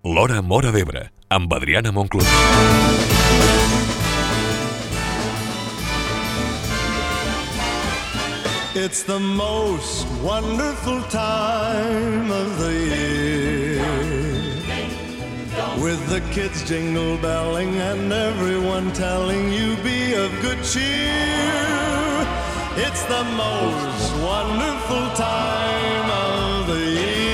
L'Hora Móra d'Ebre, amb Adriana Monclús. It's the most wonderful time of the year, with the kids jingle belling and everyone telling you be of good cheer. It's the most wonderful time of the year.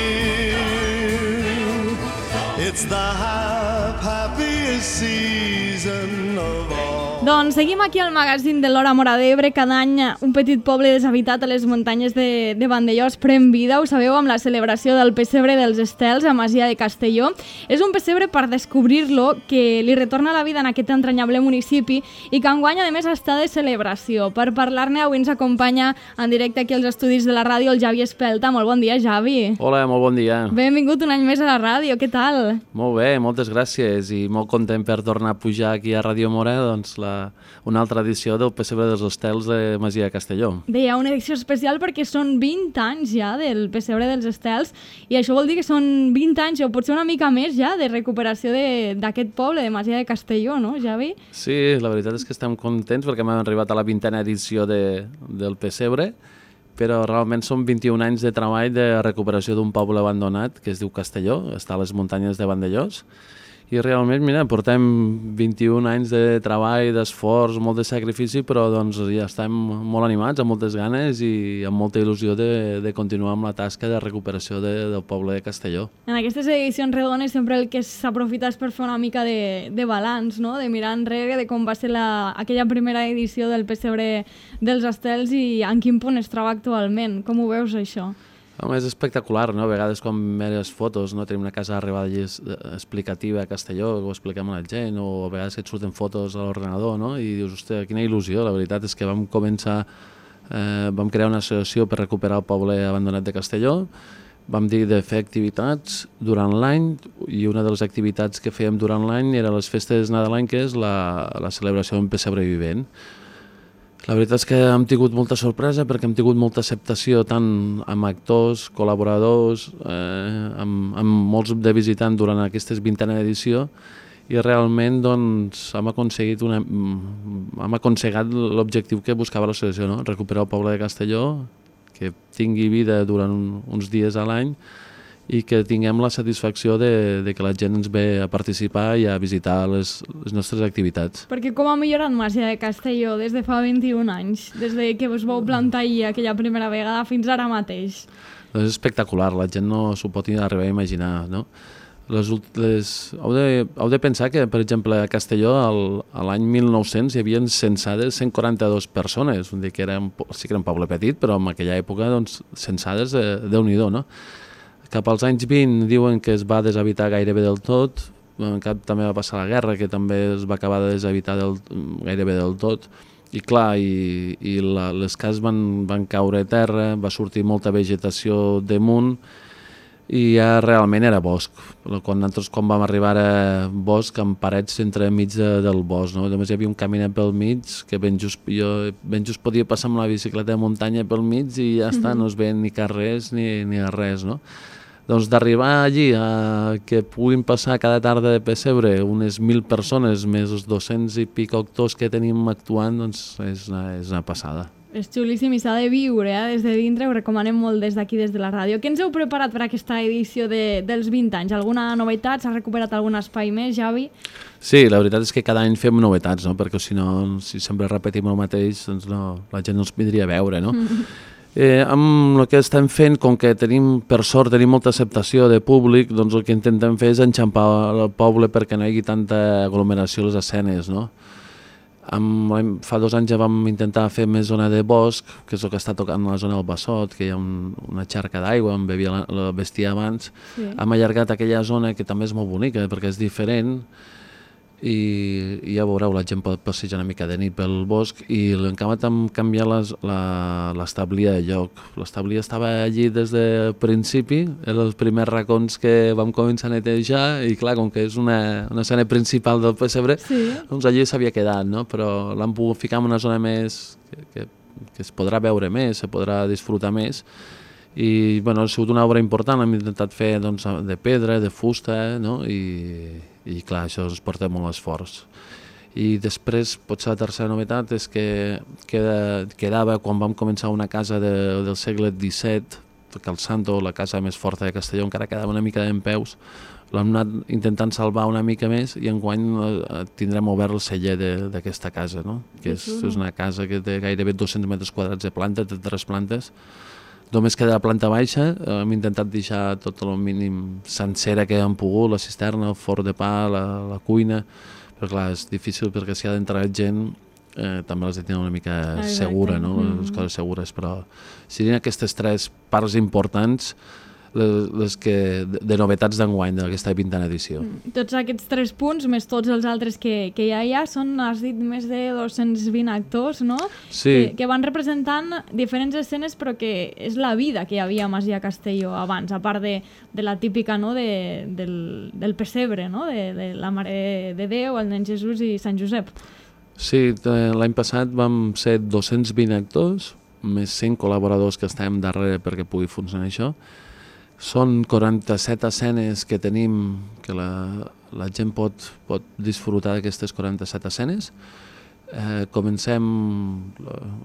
It's the happiest season of all. Doncs seguim aquí al magazín de l'Hora Móra d'Ebre. Cada any un petit poble deshabitat a les muntanyes de Vandellòs pren vida, ho sabeu, amb la celebració del pessebre dels Estels a Masia de Castelló. És un pessebre per descobrir-lo, que li retorna la vida en aquest entranyable municipi i que enguany a més està de celebració. Per parlar-ne avui ens acompanya en directe aquí als estudis de la ràdio el Javi Espelta. Molt bon dia, Javi. Hola, molt bon dia. Benvingut un any més a la ràdio, què tal? Molt bé, moltes gràcies i molt content per tornar a pujar aquí a Ràdio Móra, doncs una altra edició del pessebre dels Estels de Masia de Castelló. Deia, una edició especial perquè són 20 anys ja del pessebre dels Estels i això vol dir que són 20 anys o potser una mica més ja de recuperació d'aquest poble de Masia de Castelló, no, Javi? Sí, la veritat és que estem contents perquè hem arribat a la 20a edició del pessebre, però realment són 21 anys de treball de recuperació d'un poble abandonat que es diu Castelló, està a les muntanyes de Vandellòs. I realment, mira, portem 21 anys de treball, d'esforç, molt de sacrifici, però doncs ja estem molt animats, amb moltes ganes i amb molta il·lusió de continuar amb la tasca de recuperació del poble de Castelló. En aquestes edicions redones sempre el que s'aprofita és per fer una mica de balanç, no? De mirar enrere de com va ser aquella primera edició del pessebre dels Estels i en quin punt es troba actualment. Com ho veus, això? És espectacular, no? A vegades quan mires fotos, no? Tenim una casa d'arribada explicativa a Castelló, ho expliquem a la gent, o a vegades et surten fotos a l'ordenador, no? I dius, hòstia, quina il·lusió. La veritat és que vam crear una associació per recuperar el poble abandonat de Castelló, vam dir de fer activitats durant l'any i una de les activitats que fèiem durant l'any era les festes nadalenques, la celebració d'un pessebre vivent. La veritat és que hem tingut molta sorpresa perquè hem tingut molta acceptació tant amb actors, col·laboradors, amb molts de visitants durant aquesta 20a edició i realment doncs, hem aconseguit l'objectiu que buscava l'associació, no? Recuperar el poble de Castelló, que tingui vida durant uns dies a l'any i que tinguem la satisfacció de que la gent ens ve a participar i a visitar les nostres activitats. Perquè com ha millorat Masia de Castelló des de fa 21 anys, des de que us vau plantar ahir aquella primera vegada fins ara mateix? És espectacular, la gent no s'ho pot arribar a imaginar, no? Heu de pensar que, per exemple, a Castelló l'any 1900 hi havia censades 142 persones, sí que era un poble petit, però en aquella època doncs, censades Déu-n'hi-do, no? Cap als anys 20 diuen que es va deshabitar gairebé del tot, també va passar la guerra, que també es va acabar de deshabitar gairebé del tot, i clar, les cases van caure a terra, va sortir molta vegetació damunt, i ja realment era bosc. Nosaltres quan vam arribar a bosc amb parets entremig del bosc, no? Només hi havia un caminet pel mig que ben just podia passar amb la bicicleta de muntanya pel mig i ja està, no es veien ni carrers ni res, no? Doncs d'arribar allí a que puguin passar cada tarda de pessebre unes 1.000 persones més els 200 i pico actors que tenim actuant, doncs és una passada. És xulíssim i s'ha de viure des de dintre, ho recomanem molt des d'aquí, des de la ràdio. Què ens heu preparat per aquesta edició dels 20 anys? Alguna novetat? S'ha recuperat algun espai més, Javi? Sí, la veritat és que cada any fem novetats, no? Perquè si sempre repetim el mateix, doncs la gent no ens vindria a veure, no? Amb el que estem fent, com que per sort tenim molta acceptació de públic, doncs el que intentem fer és enxampar el poble perquè no hi hagi tanta aglomeració a les escenes, no? Fa 2 anys ja vam intentar fer més zona de bosc, que és el que està tocant a la zona del Bassot, que hi ha una xarca d'aigua on bevia el bestiar abans. Sí. Hem allargat aquella zona que també és molt bonica perquè és diferent i ja veureu, la gent pot passejar una mica de nit pel bosc i hem acabat amb canviar l'establia de lloc. L'establia estava allí des del principi, eren els primers racons que vam començar a netejar i clar, com que és una escena principal del pessebre, sí, doncs allí s'havia quedat, no? Però l'hem pogut ficar en una zona més que es podrà veure més, se podrà disfrutar més I bueno, ha sigut una obra important, hem intentat fer doncs, de pedra, de fusta, no? I clar, això ens porta molt esforç. I després, potser la tercera novetat és que quedava quan vam començar una casa del segle XVII, que el Santo, la casa més forta de Castelló, encara quedava una mica dempeus, l'hem anat intentant salvar una mica més i enguany tindrem obert el celler d'aquesta casa, no? Que és una casa que té gairebé 200 metres quadrats de planta, té 3 plantes. Només queda la planta baixa, hem intentat deixar tot el mínim sencera que hem pogut, la cisterna, el forn de pa, la cuina, però clar, és difícil perquè si ha d'entrar gent també les de tenir una mica segura, no? Les coses segures, però serien aquestes 3 parts importants les que de novetats d'enguany d'aquesta 20a edició. Tots aquests 3 punts, més tots els altres que ja hi ha, són, has dit, més de 220 actors, no? Sí. Que van representant diferents escenes, però que és la vida que hi havia a Masia Castelló abans, a part de la típica, no?, del pessebre, no?, de la Mare de Déu, el nen Jesús i Sant Josep. Sí, l'any passat vam ser 220 actors, més 100 col·laboradors que estem darrere perquè pugui funcionar això. Són 47 escenes que tenim, que la gent pot disfrutar d'aquestes 47 escenes. Comencem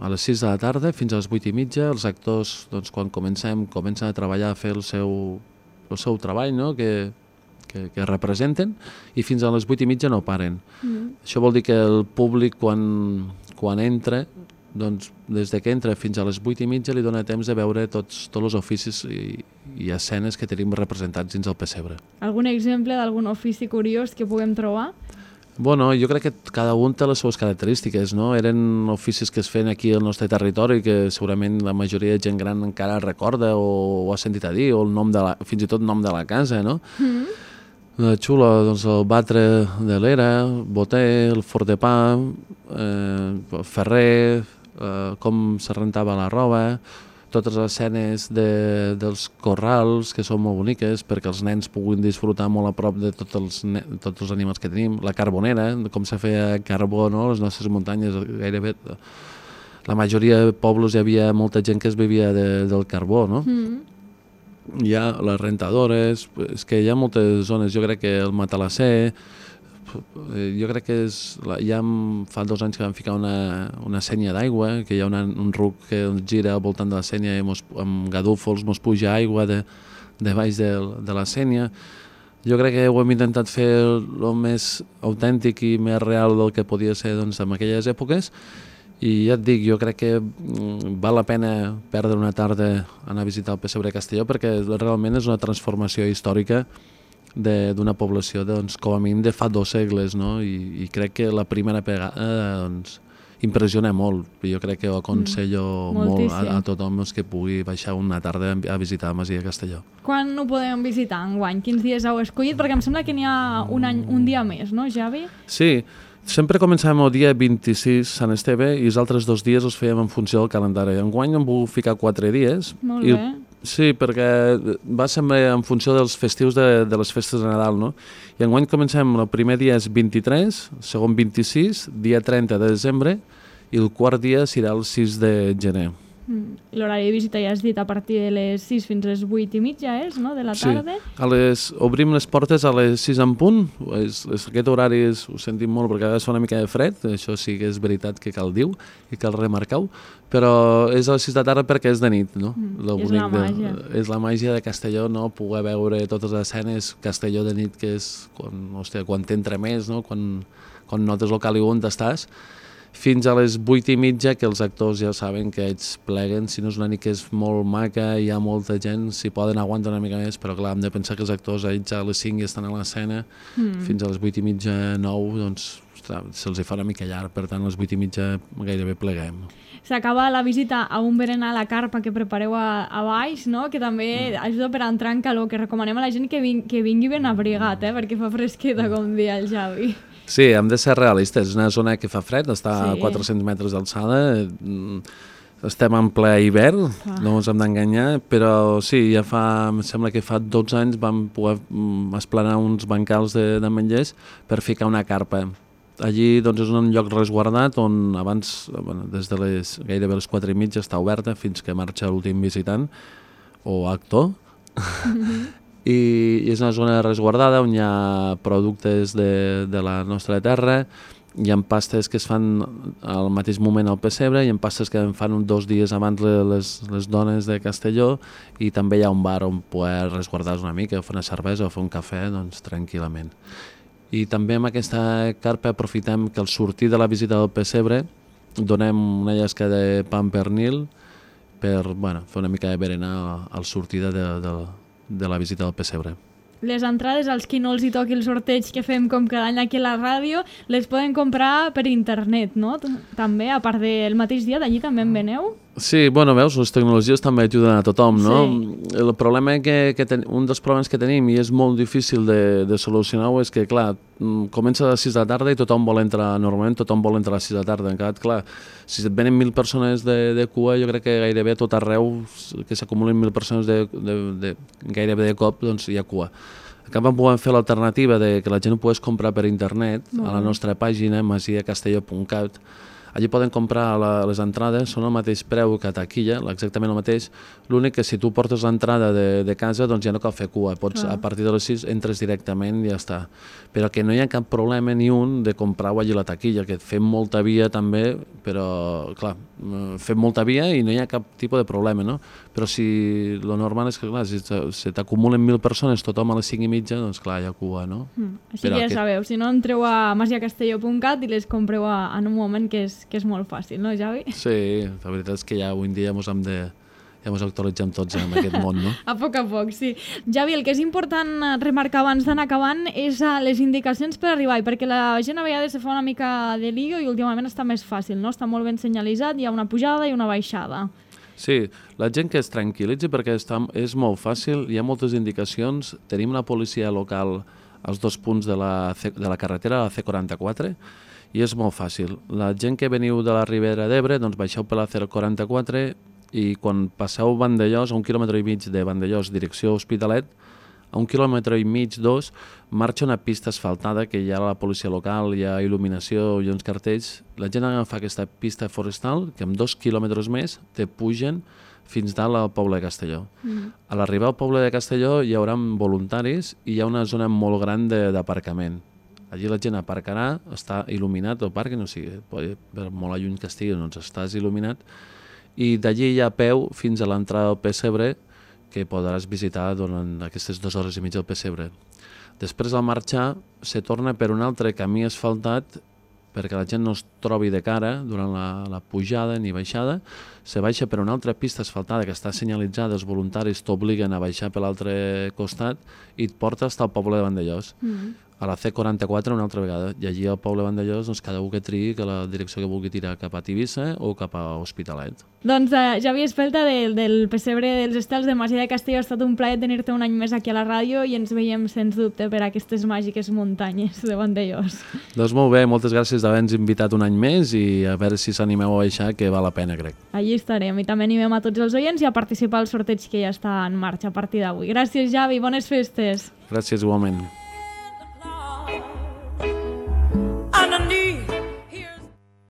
a les 6 de la tarda fins a les 8:30. Els actors, doncs, quan comencen a treballar, a fer el seu treball, no?, que representen, i fins a les 8:30 no paren. Això vol dir que el públic, quan entra, doncs, des que entra fins a les 8:30 li dona temps de veure tots els oficis i escenes que tenim representats dins el pessebre. Algun exemple d'algun ofici curiós que puguem trobar? Bueno, jo crec que cada un té les seves característiques, no? Eren oficis que es feien aquí al nostre territori que segurament la majoria de gent gran encara recorda o ha sentit a dir, o fins i tot nom de la casa, no? Xulo, doncs el batre de l'era, boter, el forn de pa, ferrer, com se rentava la roba, totes les escenes dels corrals, que són molt boniques perquè els nens puguin disfrutar molt a prop de tots els animals que tenim, la carbonera, com se feia carbó, no?, les nostres muntanyes, gairebé la majoria de pobles hi havia molta gent que es vivia del carbó, no? Hi ha les rentadores, és que hi ha moltes zones, jo crec que el matalasser, jo crec que fa 2 anys que vam ficar una senya d'aigua, que hi ha un ruc que ens gira al voltant de la senya i amb gadúfols mos puja aigua de baix de la senya. Jo crec que ho hem intentat fer el més autèntic i més real del que podia ser, doncs, en aquelles èpoques, i ja et dic, jo crec que val la pena perdre una tarda anar a visitar el pessebre de Castelló perquè realment és una transformació històrica d'una població, doncs, com a mínim de fa 2 segles, no? I crec que la primera vegada, doncs, impressiona molt. Jo crec que ho aconsello molt a tothom que pugui baixar una tarda a visitar la Masia de Castelló. Quan ho podem visitar enguany? Quins dies heu escollit? Perquè em sembla que n'hi ha un dia més, no, Javi? Sí, sempre començàvem el dia 26, Sant Esteve, i els altres 2 dies els fèiem en funció del calendari. Enguany hem volgut ficar 4 dies. Molt bé. Sí, perquè va ser en funció dels festius de les festes de Nadal, no? I enguany comencem, el primer dia és 23, el segon 26, dia 30 de desembre, i el quart dia serà el 6 de gener. L'horari de visita ja has dit a partir de les 6 fins a les 8:30, no?, de la tarda. Sí, obrim les portes a les 6 en punt. Aquest horari ho sentim molt perquè ha de ser una mica de fred, això sí que és veritat que cal dir i cal remarcar-ho, però és a les 6 de la tarda perquè és de nit, no? És la màgia. És la màgia de Castelló, no? Poder veure totes les escenes, Castelló de nit, que és quan t'entra més, no? Quan notes el caliu on estàs, fins a les 8:30, que els actors ja saben que ells pleguen. Si no és una nit que és molt maca, hi ha molta gent, si poden aguantar una mica més, però clar, hem de pensar que els actors ells a les 5 ja estan a l'escena, fins a les 8:30, 9, doncs se'ls fa una mica llarg, per tant a les 8:30 gairebé pleguem. S'acaba la visita a un berenar a la carpa que prepareu a baix, no?, que també ajuda per entrar en calor, que recomanem a la gent que vingui ben abrigat, perquè fa fresqueta, com dia el Javi. Sí, hem de ser realistes. És una zona que fa fred, està a 400 metres d'alçada, estem en ple hivern, no ens hem d'enganyar, però sí, em sembla que fa 12 anys vam poder esplanar uns bancals de menjers per ficar una carpa. Allí doncs, és un lloc resguardat on abans, des de gairebé les 4:30 està oberta fins que marxa l'últim visitant, o actor, i és una zona resguardada on hi ha productes de la nostra terra. Hi ha pastes que es fan al mateix moment al pessebre, hi ha pastes que en fan 2 dies abans les dones de Castelló, i també hi ha un bar on poder resguardar-se una mica, fer una cervesa o fer un cafè, doncs tranquil·lament. I també amb aquesta carpa aprofitem que al sortir de la visita del pessebre donem una llesca de pa amb pernil per fer una mica de berenar al sortida de la visita del pessebre. Les entrades, als qui no els hi toqui el sorteig que fem com cada any aquí a la ràdio, les poden comprar per internet, no? També, a part del mateix dia, d'allí també en veneu? Sí, veus, les tecnologies també ajuden a tothom, no? Sí. El problema un dels problemes que tenim, i és molt difícil de solucionar-ho, és que, clar, comença a les 6 de la tarda i tothom vol entrar, normalment tothom vol entrar a les 6 de la tarda. Encara, clar, si et venen 1.000 persones de cua, jo crec que gairebé a tot arreu que s'acumulen 1.000 persones gairebé de cop, doncs hi ha cua. En canvi, podem fer l'alternativa de que la gent ho pogués comprar per internet a la nostra pàgina, masiacastelló.cat. Allí poden comprar les entrades, són el mateix preu que a taquilla, exactament el mateix. L'únic que si tu portes l'entrada de casa, doncs ja no cal fer cua. Pots, a partir de les 6 entres directament i ja està. Però que no hi ha cap problema ni un de comprar-ho allí a la taquilla, que fem molta via també, però clar, fem molta via i no hi ha cap tipus de problema, no? Però si lo normal és que, clar, si t'acumulen 1.000 persones, tothom a les 5:30, doncs clar, hi ha cua, no? Així que ja sabeu, si no entreu a masiacastelló.cat i les compreu en un moment que és molt fàcil, no, Javi? Sí, la veritat és que ja avui en dia ja ens actualitzem tots en aquest món, no? A poc, sí. Javi, el que és important remarcar abans d'anar acabant és les indicacions per arribar, perquè la gent a vegades se fa una mica de lío i últimament està més fàcil, no? Està molt ben senyalitzat, hi ha una pujada i una baixada. Sí, la gent que es tranquil·litzi perquè és molt fàcil, hi ha moltes indicacions, tenim una policia local als 2 punts de la carretera, la C44, i és molt fàcil. La gent que veniu de la Ribera d'Ebre, doncs baixeu per la C44 i quan passeu Vandellòs, a 1,5 quilòmetres de Vandellòs, direcció Hospitalet, a 1,5 quilòmetres, 2, marxa una pista asfaltada que hi ha la policia local, hi ha il·luminació i uns cartells. La gent agafa aquesta pista forestal que amb 2 quilòmetres més te pugen fins dalt al poble de Castelló. A l'arribar al poble de Castelló hi haurà voluntaris i hi ha una zona molt gran d'aparcament. Allí la gent aparcarà, està il·luminat el parc, no sigui, per molt lluny que estigui, doncs estàs il·luminat, i d'allí hi ha a peu fins a l'entrada del pessebre que podràs visitar durant aquestes 2 hores i mitja del pessebre. Després, al marxar, se torna per un altre camí asfaltat perquè la gent no es trobi de cara durant la pujada ni baixada. Se baixa per una altra pista asfaltada que està senyalitzada, els voluntaris t'obliguen a baixar per l'altre costat i et porta fins al poble de Vandellòs. A la C44 una altra vegada, i allí al poble de Vandellòs doncs cada un que triï que la direcció que vulgui tirar cap a Tivissa o cap a Hospitalet. Doncs Javi Espelta del pessebre dels Estels de Masia de Castelló, ha estat un plaer tenir-te un any més aquí a la ràdio i ens veiem sens dubte per aquestes màgiques muntanyes de Vandellòs. Doncs molt bé, moltes gràcies d'haver-nos invitat un any més i a veure si s'animeu a baixar, que val la pena, crec. Allí estarem i també animem a tots els oients i a participar al sorteig que ja està en marxa a partir d'avui. Gràcies, Javi, bones festes. Gràcies igualment.